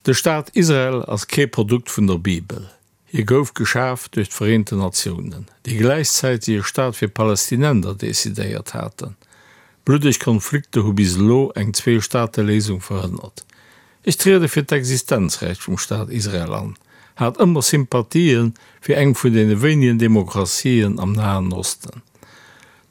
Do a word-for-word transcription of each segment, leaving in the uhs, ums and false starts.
De Staat Israel ass kee Produkt vun der Bibel. Hie gouf geschaf duerch d'Vereenten Natiounen, déi gläichzäiteg e Staat fir Palästinenser decidéiert haten. Bluddeg Konflikter hu bis elo eng Zwee-Staate-Léisung verhënnert. Ech triede fir d'Existenzrecht vum Staat Israel an, hat ëmmer Sympathien fir eng vun deene wéinegen Demokratien am Nahen Osten.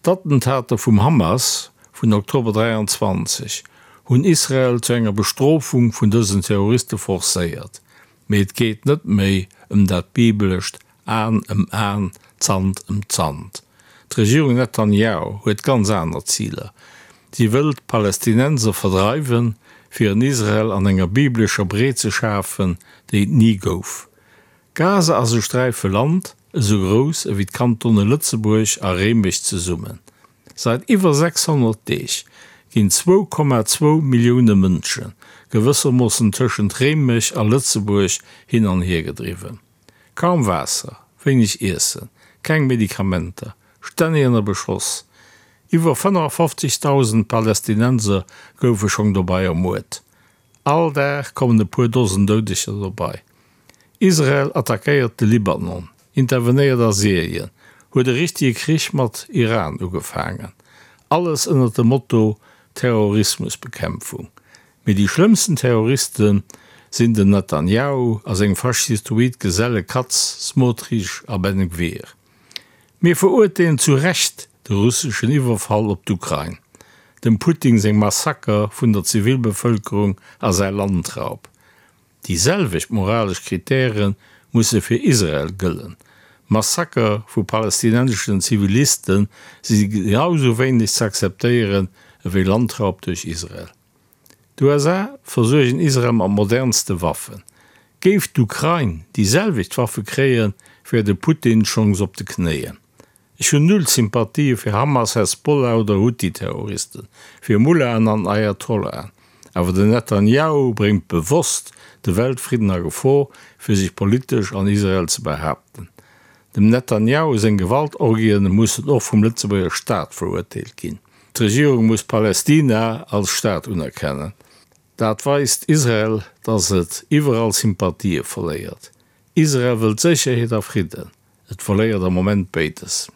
D'Attentater vum Hamas vun Oktober dräianzwanzeg hunn Israel zu enger Bestrofung vun dësen Terroriste forcéiert. Mee et geet net méi ëm dat bibelescht An ëm An, Zant ëm Zant. D'Regierung Netanjahu huet ganz aner Ziler. Si wëll d'Palästinenser verdreiwen, fir en Israel an enger bibelescher Breet ze schafen, déi et ni gouf. Gaza ass e Sträife Land, esou grouss ewéi d'Kantone Lëtzebuerg a Réimech zesummen. Säit iwwer sechshonnert Deeg ginn zwou Komma zwou Millioune Mënsche gewëssermoossen tëschent Réimech a Lëtzebuerg hin an hier gedriwwen. Kaum Waasser, wéineg Iessen, keng Medikamenter, stänneg ënner Beschoss. Iwwer fënnefafofzegdausend Palästinenser goufe schonn dobäi ermuert. All Dag kommen e puer Dosen Doudeger dobäi. Israel attackéiert de Libanon, intervenéiert a Syrien, huet e richtege Krich mat Iran ugefaangen. Alles ënnert dem Motto Terrorismusbekämpfung. Mee déi schlëmmsten Terroriste sinn den Netanjahu a seng faschistoid Geselle Katz, Smotrich a Ben Gvir. Mir verurteelen zu Recht de russeschen Iwwerfall op d'Ukrain, dem Putin seng Massaker vun der Zivilbevëlkerung a säi Landraub. Déi selwecht moralesch Kritäre musse fir Israel gëllen. Massaker vu palästinenseschen Ziviliste si genau sou wéineg ze akzeptéieren ewéi Landraub duerch Israel. D'USA versuergen Israel mat modernste Waffen. Géif d'Ukrain déi selwecht Waffe kréien, wär de Putin schonns op de Knéien. Ech hunn null Sympathië fir Hamas, Hezbollah oder Huthi-Terroristen, fir Mullahen an Ayatollahen. Awer den Netanjahu bréngt bewosst de Weltfridden a Gefor, fir sech politesch an Israel ze behaapten. Dem Netanjahu seng Gewaltorgien mussen och vum Lëtzebuerger Staat verurteelt ginn. D'Regierung muss Palästina als Staat unerkennen. Dat weist Israel, dass et iwwerall Sympathië verléiert. Israel wëllt Sécherheet a Fridden. Et verléiert am Moment béides.